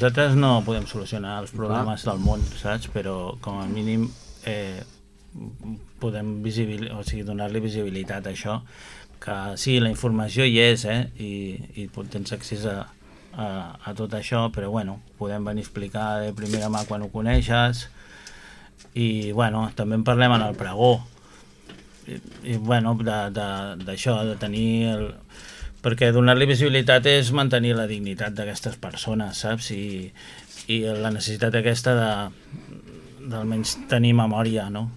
Nosaltres no podem solucionar els problemes del món, saps? Però com a mínim podem donar-li visibilitat a això, que sí, la informació hi és, i tens accés a tot això, però bueno, podem venir a explicar de primera mà quan ho coneixes, i bueno, també en parlem en el pregó, i bueno, d'això, de tenir perquè donar-li visibilitat és mantenir la dignitat d'aquestes persones, saps? I la necessitat aquesta d'almenys tenir memòria, no?